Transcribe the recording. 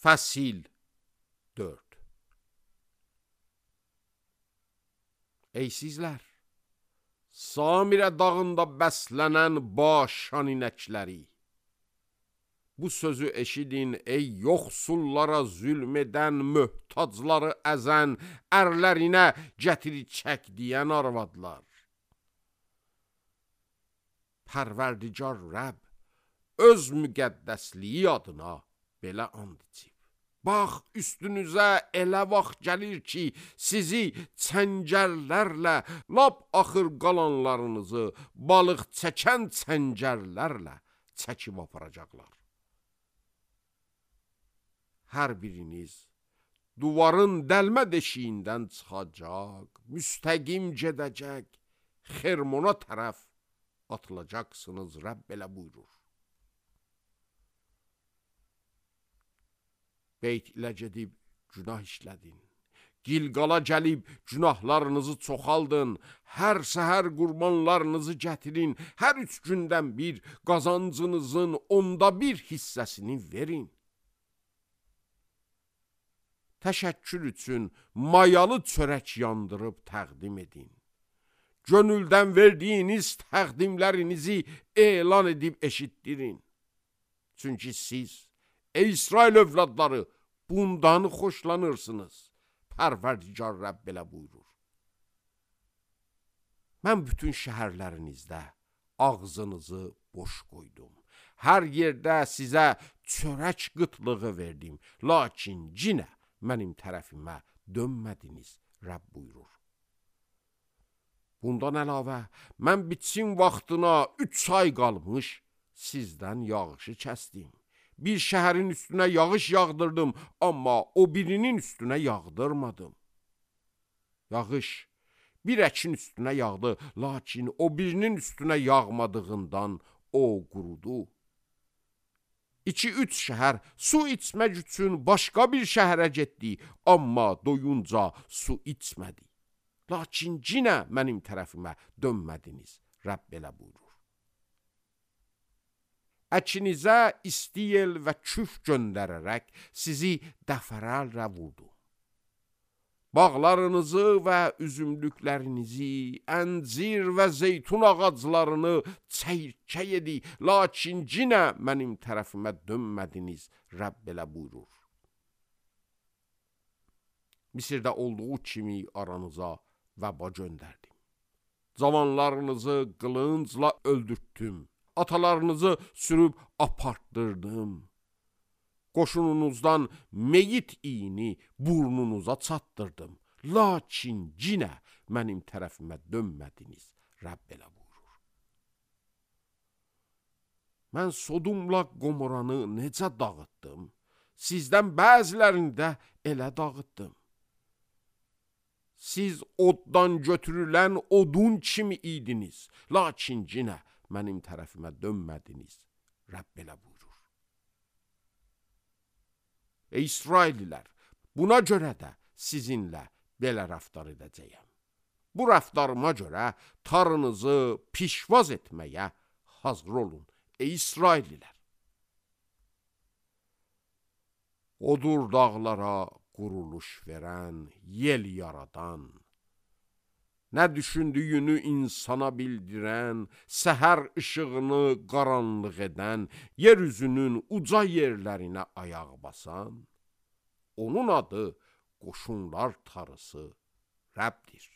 Fəsil 4. Ey sizlər, Samirə dağında bəslənən başan inəkləri, bu sözü eşidin ey yoxsullara zülm edən, möhtacları əzən, ərlərinə gətiri çək deyən arvadlar. Pərverdigar Rəbb öz müqəddəsliyi adına belə and içib. Bax, üstünüzə elə vaxt gəlir ki, sizi çəngəllərlə, lap axır qalanlarınızı balıq çəkən çəngəllərlə çəkib aparacaqlar. Hər biriniz duvarın dəlmə deşiyindən çıxacaq, müstəqim gedəcək, Xermona tərəf atılacaqsınız, Rəbb belə buyurur. Beyt ilə gedib günah işlədin, Gilqala gəlib günahlarınızı çoxaldın, hər səhər qurbanlarınızı gətirin, hər 3 gündən bir qazancınızın 1/10 hissəsini verin. Təşəkkür üçün mayalı çörək yandırıb təqdim edin. Gönüldən verdiyiniz təqdimlərinizi elan edib eşitdirin. Çünki siz, ey İsrail övladları, bundan xoşlanırsınız. Pərverdigar Rəbb belə buyurur. Mən bütün şəhərlərinizdə ağzınızı boş qoydum. Hər yerdə sizə çörək qıtlığı verdim. Lakin yenə mənim tərəfimə dönmədiniz, Rəbb buyurur. Bundan əlavə, mən biçim vaxtına 3 ay qalmış sizdən yağışı kəsdim. Bir şəhərin üstünə yağış yağdırdım, amma o birinin üstünə yağdırmadım. Yağış bir əkin üstünə yağdı, lakin o birinin üstünə yağmadığından o qurudu. 2-3 şəhər su içmək üçün başqa bir şəhərə getdi, amma doyunca su içmədi. Lakin yenə mənim tərəfimə dönmədiniz, Rəbb belə buyurur. Əkinizə istiyel və küf göndərərək sizi dəfərəllə vurdu. Bağlarınızı və üzümlüklərinizi, əncir və zeytun ağaclarını çəyirkə yedi, lakin yenə mənim tərəfimə dönmədiniz, Rəbb belə buyurur. Misirdə olduğu kimi aranıza vəba göndərdim. Cavanlarınızı qılıncla öldürtdüm. Atalarınızı sürüb apartdırdım. Qoşununuzdan meyit iyini burnunuza çatdırdım. Lakin yenə mənim tərəfimə dönmədiniz, Rəbb belə buyurur. Mən Sodumla Qomoranı necə dağıtdım, sizdən bəzilərini də elə dağıtdım. Siz oddan götürülən odun kimi idiniz, lakin yenə mənim tərəfimə dönmədiniz, Rəbb belə buyurur. Ey İsraililər, buna görə də sizinlə belə rəftar edəcəyəm. Bu rəftarıma görə tarınızı pişvaz etməyə hazır olun, ey İsraililər. Odur dağlara quruluş verən, yel yaradan, nə düşündüyünü insana bildirən, səhər işığını qaranlıq edən, yeryüzünün uca yerlərinə ayaq basan, onun adı qoşunlar tarısı Rəbbdir.